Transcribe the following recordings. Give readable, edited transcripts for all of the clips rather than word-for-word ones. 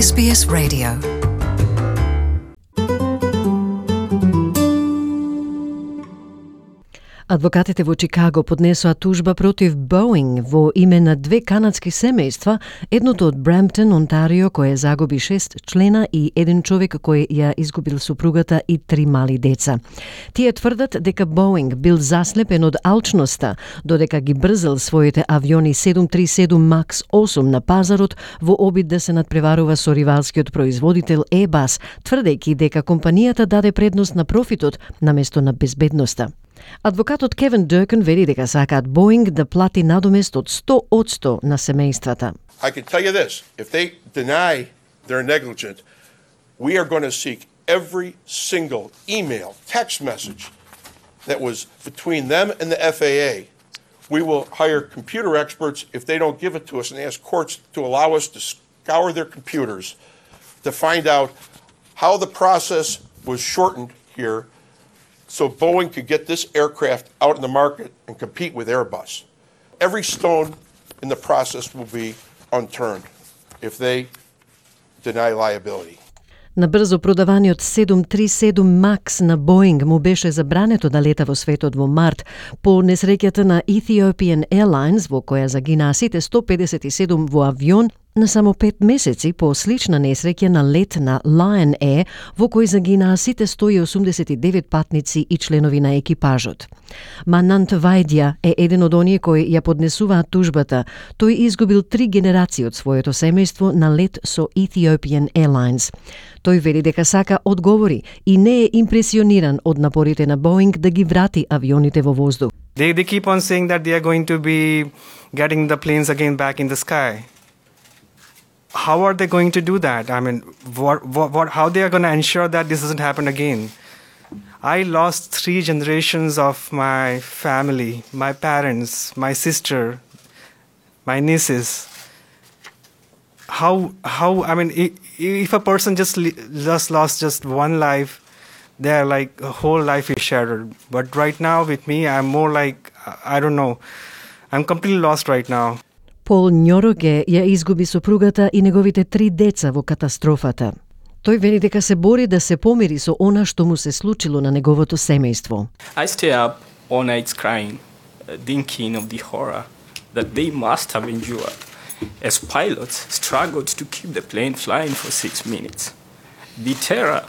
SBS Radio. Адвокатите во Чикаго поднесоа тужба против Боинг во име на две канадски семејства, едното од Брамптон, Онтарио, кое загуби 6 члена и еден човек кој ја изгубил супругата и 3 мали деца. Тие тврдат дека Боинг бил заслепен од алчноста, додека ги брзал своите авиони 737 MAX 8 на пазарот во обид да се надпреварува со ривалскиот производител Airbus, тврдејќи дека компанијата даде предност на профитот наместо на безбедноста. Адвокатот Кевин Дъркън вели дека сакаат Боинг да плати надомест од 100% на семејствата. I can tell you this, if they deny they're negligent, we are going to seek every single email, text message that was between them and the FAA. We will hire computer experts if they don't give it to us and ask courts to allow us to scour their computers to find out how the process was shortened here so Boeing could get this aircraft out in the market and compete with Airbus. Every stone in the process will be unturned if they deny liability. На брзо продаваниот 737 MAX на Боинг му беше забрането да лета во светот во март по несреќата на Ethiopian Airlines во која загинаа сите 157 во авион на само 5 месеци по слична несреќа на лет на Lion Air во кој загинаа сите 189 патници и членови на екипажот. Манант Вајдја е еден од оние кои ја поднесуваат тужбата. Тој изгубил 3 генерации од своето семејство на лет со Ethiopian Airlines. Тој вели дека сака одговори и не е импресиониран од напорите на Боинг да ги врати авионите во воздух. They keep on saying that they are going to be getting the planes again back in the sky. How are they going to do that? I mean, how they are going to ensure that this doesn't happen again? I lost 3 generations of my family, my parents, my sister, my nieces. I mean, if a person just lost just one life, their like whole life is shattered. But right now with me, I'm more like, I don't know, I'm completely lost right now. Пол Њороге ја изгуби супругата и неговите 3 деца во катастрофата. Тој вели дека се бори да се помири со она што му се случило на неговото семејство. I stay up all nights crying, thinking of the horror that they must have endured as pilots struggled to keep the plane flying for 6 minutes. The terror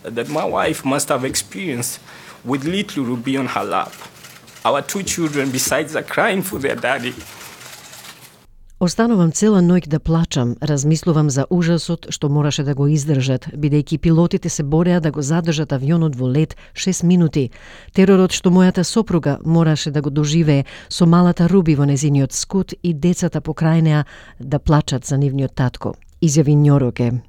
that my wife must have experienced with little Ruby on her lap. Our 2 children besides are crying for their daddy. Останувам цела ноќ да плачам, размислувам за ужасот што мораше да го издржат, бидејќи пилотите се бореа да го задржат авионот во лет 6 минути. Теророт што мојата сопруга мораше да го доживее со малата Руби во незиниот скут и децата покрај неа да плачат за нивниот татко, изјави Њороге.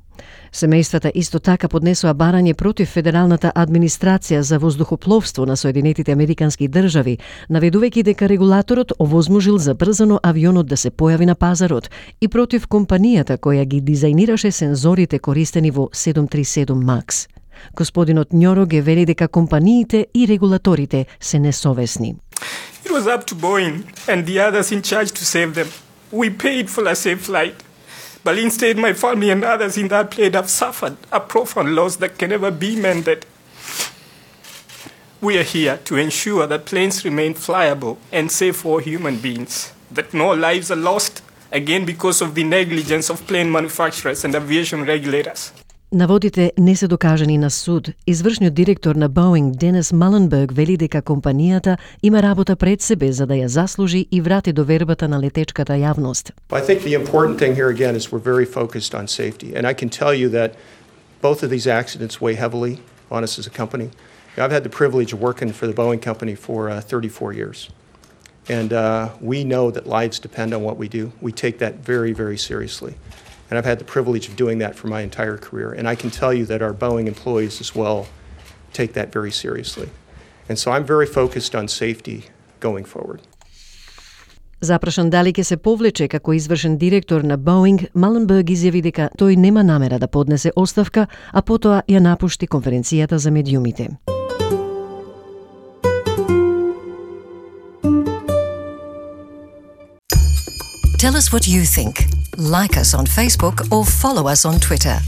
Семејствата исто така поднесоа барање против Федералната администрација за воздухопловство на Соединетите Американски држави, наведувајќи дека регулаторот овозможил забрзано авионот да се појави на пазарот и против компанијата која ги дизајнираше сензорите користени во 737 MAX. Господинот Њороге вели дека компаниите и регулаторите се несовесни. It was up to Boeing and the others in charge to save them. We paid for a safe flight. But instead, my family and others in that plane have suffered a profound loss that can never be mended. We are here to ensure that planes remain flyable and safe for human beings, that no lives are lost, again because of the negligence of plane manufacturers and aviation regulators. Наводите не се докажани на суд. Извршниот директор на Боинг, Денис Маленберг, вели дека компанијата има работа пред себе за да ја заслужи и врати довербата на летечката јавност. I think the important thing here again is we're very focused on safety. And I can tell you that both of these accidents weigh heavily on us as a company. I've had the privilege of working for the Boeing company for 34 years. And we know that lives depend on what we do. We take that very, very seriously. And I've had the privilege of doing that for my entire career. And I can tell you that our Boeing employees as well take that very seriously. And so I'm very focused on safety going forward. Запрашан дали ќе се повлече како извршен директор на Боинг, Маленберг изјави дека тој нема намера да поднесе оставка, а потоа ја напушти конференцијата за медиумите. Tell us what you think. Like us on Facebook or follow us on Twitter.